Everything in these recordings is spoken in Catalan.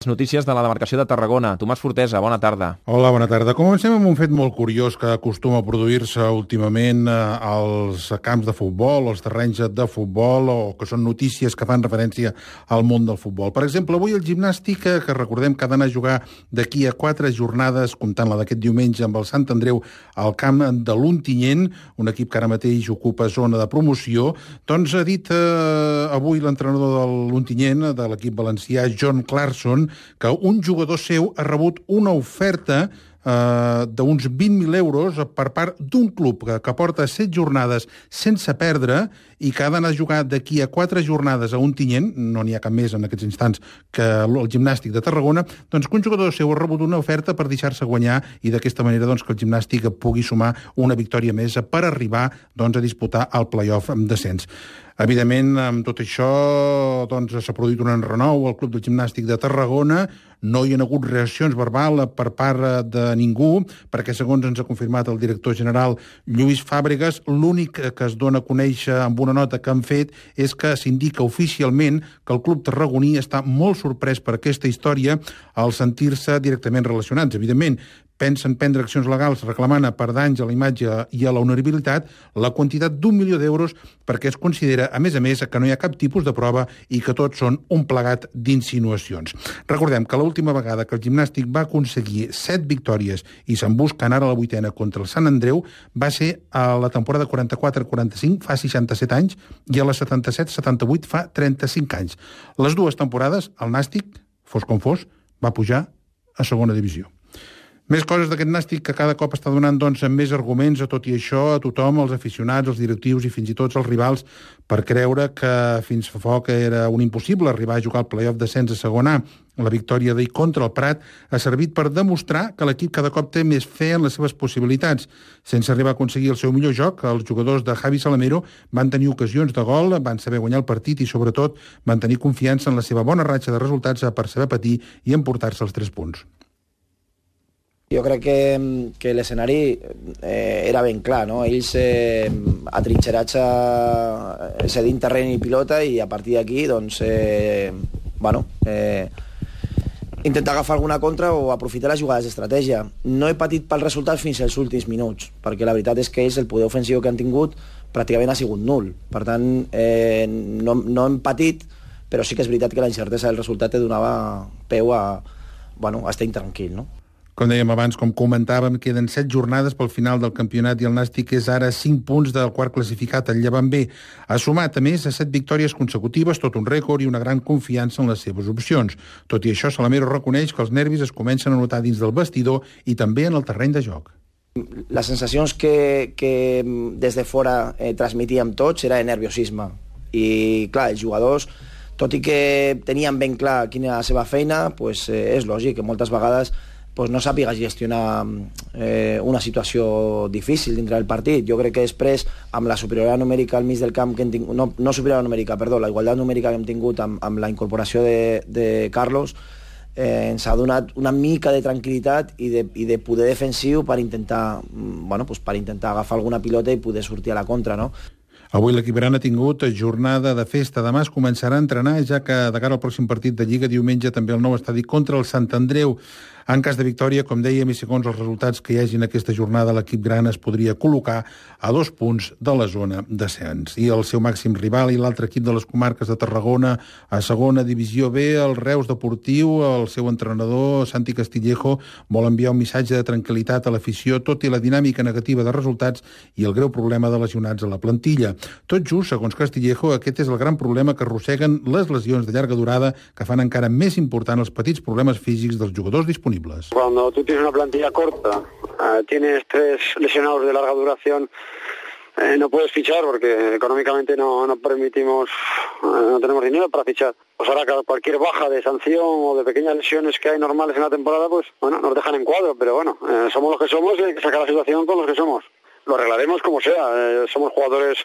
Notícies de la demarcació de Tarragona. Tomàs Fortesa, bona tarda. Hola, bona tarda. Comencem amb un fet molt curiós que acostuma a produir-se últimament als camps de futbol, als terrenys de futbol, o que són notícies que fan referència al món del futbol. Per exemple, avui el Gimnàstic, que recordem que ha d'anar a jugar d'aquí a 4 jornades, comptant la d'aquest diumenge amb el Sant Andreu, al camp de l'Ontinyent, un equip que ara mateix ocupa zona de promoció, doncs ha dit avui l'entrenador de l'Ontinyent, de l'equip valencià, John Clarkson, que un jugador seu ha rebut una oferta d'uns 20.000 euros per part d'un club que porta 7 jornades sense perdre i que ha d'anar a jugar d'aquí a 4 jornades a Ontinyent, no n'hi ha cap més en aquests instants que el Gimnàstic de Tarragona, doncs que un jugador seu ha rebut una oferta per deixar-se guanyar i d'aquesta manera doncs, que el Gimnàstic pugui sumar una victòria més per arribar doncs, a disputar el play-off descens. Evidentment, amb tot això doncs, s'ha produït un enrenou al Club del Gimnàstic de Tarragona. No hi ha hagut reaccions verbals per part de ningú, perquè segons ens ha confirmat el director general Lluís Fàbregas, l'únic que es dona a conèixer amb una nota que han fet és que s'indica oficialment que el club tarragoní està molt sorprès per aquesta història al sentir-se directament relacionats. Evidentment, pensen prendre accions legals reclamant per danys a la imatge i a l'honorabilitat la quantitat d'1 milió d'euros perquè es considera, a més, que no hi ha cap tipus de prova i que tots són un plegat d'insinuacions. Recordem que l'última vegada que el Gimnàstic va aconseguir 7 victòries i se'n busquen ara la 8ª contra el Sant Andreu va ser a la temporada 44-45, fa 67 anys, i a la 77-78 fa 35 anys. Les dues temporades, el Nàstic, fos com fos, va pujar a segona divisió. Més coses d'aquest Nàstic que cada cop està donant doncs, més arguments a tot i això, a tothom, als aficionats, als directius i fins i tot als rivals, per creure que fins fa poc era un impossible arribar a jugar al play-off descens a segona A. La victòria d'ahir contra el Prat ha servit per demostrar que l'equip cada cop té més fe en les seves possibilitats. Sense arribar a aconseguir el seu millor joc, els jugadors de Javi Salamero van tenir ocasions de gol, van saber guanyar el partit i, sobretot, van tenir confiança en la seva bona ratxa de resultats per saber patir i emportar-se els 3 punts. Jo crec que l'escenari era ben clar, no? Ells atrinxerats cedint terreny i pilota i a partir d'aquí doncs, intentar agafar alguna contra o aprofitar les jugades d'estratègia. No he patit pel resultat fins als últims minuts, perquè la veritat és que ells el poder ofensiu que han tingut pràcticament ha sigut nul. Per tant, no hem patit, però sí que és veritat que la incertesa del resultat et donava peu a estar intranquil, no? Com dèiem abans, com comentàvem, queden 7 jornades pel final del campionat i el Nàstic és ara 5 punts del quart classificat, el Llevant B. Ha sumat, a més, a 7 victòries consecutives, tot un rècord i una gran confiança en les seves opcions. Tot i això, Salamero reconeix que els nervis es comencen a notar dins del vestidor i també en el terreny de joc. Les sensacions que des de fora transmitíem tots era de nerviosisme. I, clar, els jugadors, tot i que tenien ben clar quina era la seva feina, és lògic que moltes vegades no sàpigues gestionar una situació difícil dintre del partit. Jo crec que després, amb la superioritat numèrica al mig del camp que hem tingut, no superioritat numèrica, perdó, la igualtat numèrica que hem tingut amb la incorporació de Carlos, ens ha donat una mica de tranquil·litat i de poder defensiu per intentar agafar alguna pilota i poder sortir a la contra, no? Avui l'equip gran ha tingut jornada de festa. Demà es començarà a entrenar, ja que de cara al pròxim partit de Lliga, diumenge també el nou estadi contra el Sant Andreu. En cas de victòria, com dèiem, i segons els resultats que hi hagi en aquesta jornada, l'equip gran es podria col·locar a 2 punts de la zona descens. I el seu màxim rival i l'altre equip de les comarques de Tarragona a segona divisió B, el Reus Deportiu, el seu entrenador, Santi Castillejo, vol enviar un missatge de tranquil·litat a l'afició, tot i la dinàmica negativa de resultats i el greu problema de lesionats a la plantilla. Tot just, segons Castillejo, aquest és el gran problema que arrosseguen les lesions de llarga durada que fan encara més important els petits problemes físics dels jugadors disponibles. Cuando tú tienes una plantilla corta, tienes 3 lesionados de larga duración, no puedes fichar porque económicamente no permitimos, no tenemos dinero para fichar. Pues ahora cualquier baja de sanción o de pequeñas lesiones que hay normales en la temporada, nos dejan en cuadro, pero bueno, somos los que somos y hay que sacar la situación con los que somos. Lo arreglaremos como sea, somos jugadores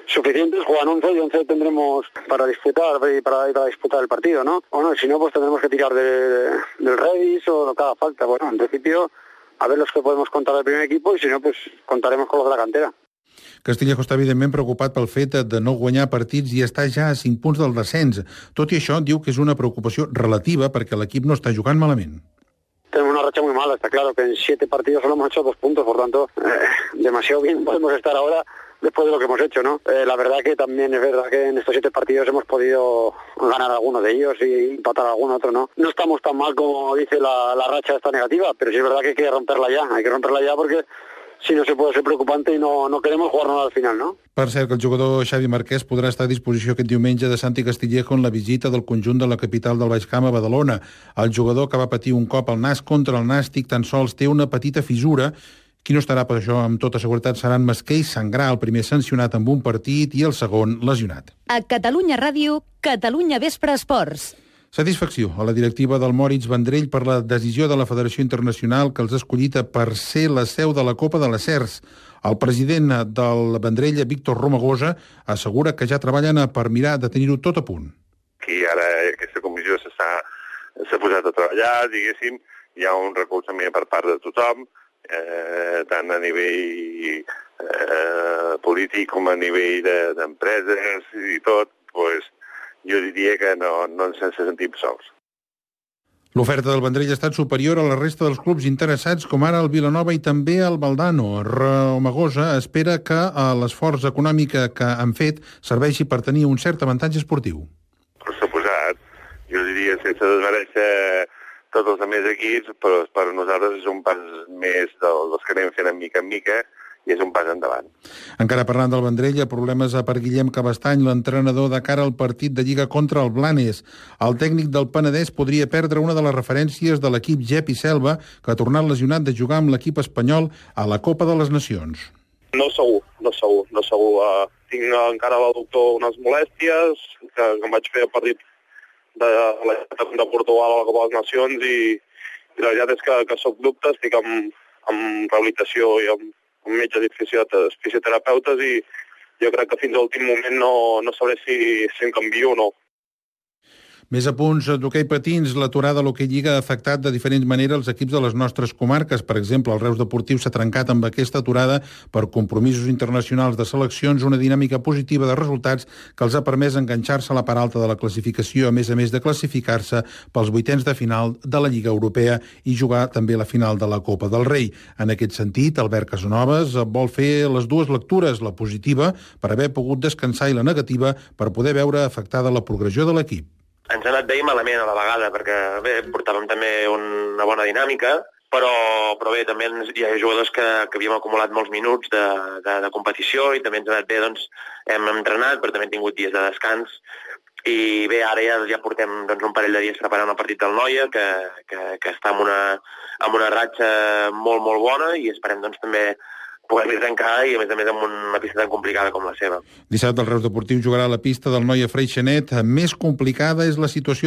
suficientes, juegan 11 y 11 tendremos para disputar el partido, ¿no? Bueno, si no, tendremos que tirar del Redis o lo que haga falta. Bueno, en principio, a ver los que podemos contar del primer equipo y si no, contaremos con los de la cantera. Castillejo està evidentment preocupat pel fet de no guanyar partits i està ja a 5 punts del descens. Tot i això, diu que és una preocupació relativa perquè l'equip no està jugant malament. Tenemos una racha muy mala, está claro que en 7 partidos solo hemos hecho 2 puntos, por tanto, demasiado bien podemos estar ahora después de lo que hemos hecho, ¿no? La verdad que también es verdad que en estos 7 partidos hemos podido ganar alguno de ellos y empatar algún otro, ¿no? No estamos tan mal como dice la racha esta negativa, pero sí es verdad que hay que romperla ya porque si no se puede ser preocupante y no queremos jugarnos al final, ¿no? Per cert, que el jugador Xavi Marquès podrà estar a disposició aquest diumenge de Santi Castillejo en la visita del conjunt de la capital del Baix Camp a Badalona. El jugador que va patir un cop al nas contra el Nàstic tan sols té una petita fissura. Qui no estarà per això amb tota seguretat serà en Masqué i Sangrà, el primer sancionat amb un partit i el segon lesionat. A Catalunya Ràdio, Catalunya Vespre Esports. Satisfacció a la directiva del Moritz Vendrell per la decisió de la Federació Internacional que els ha escollit per ser la seu de la Copa de les CERS. El president del Vendrell, Víctor Romagosa, assegura que ja treballen per mirar de tenir-ho tot a punt. Aquí ara aquesta comissió s'ha posat a treballar, diguéssim, hi ha un recolzament per part de tothom, tant a nivell polític com a nivell d'empreses i tot, doncs jo diria que no ens sentim sols. L'oferta del Vendrell ha estat superior a la resta dels clubs interessats, com ara el Vilanova i també el Valdano. Romagosa espera que l'esforç econòmic que han fet serveixi per tenir un cert avantatge esportiu. Per suposat, jo diria sense desmereixer tots els altres equips, però per nosaltres és un pas més dels que anem fent mica en mica, i és un pas endavant. Encara parlant del Vendrell, problemes per Guillem Cabestany, l'entrenador de cara al partit de Lliga contra el Blanes. El tècnic del Penedès podria perdre una de les referències de l'equip Gep i Selva, que ha tornat lesionat de jugar amb l'equip espanyol a la Copa de les Nacions. No segur. Tinc encara al doctor unes molèsties, que em vaig fer el partit de Portugal a la Copa de les Nacions i la veritat és que soc dubte, estic amb rehabilitació i amb metges i fisioterapeutes i jo crec que fins a l'últim moment no sabré si em canvio o no. Més a punts d'hoquei patins, l'aturada a l'hoquei Lliga ha afectat de diferents maneres els equips de les nostres comarques. Per exemple, el Reus Deportiu s'ha trencat amb aquesta aturada per compromisos internacionals de seleccions, una dinàmica positiva de resultats que els ha permès enganxar-se a la part alta de la classificació, a més de classificar-se pels vuitens de final de la Lliga Europea i jugar també la final de la Copa del Rei. En aquest sentit, Albert Casanovas vol fer les dues lectures, la positiva, per haver pogut descansar, i la negativa, per poder veure afectada la progressió de l'equip. Ens ha anat bé i malament a la vegada, perquè bé, portàvem també una bona dinàmica, però bé, també hi ha jugadors que havíem acumulat molts minuts de competició i també ens ha anat bé, doncs hem entrenat, però també hem tingut dies de descans i bé, ara ja portem un parell de dies preparant el partit del Noia, que està amb una ratxa molt bona i esperem també poder trencar i a més amb una pista tan complicada com la seva. Dissabte el Reus Deportiu jugarà a la pista del Noia Freixenet. Més complicada és la situació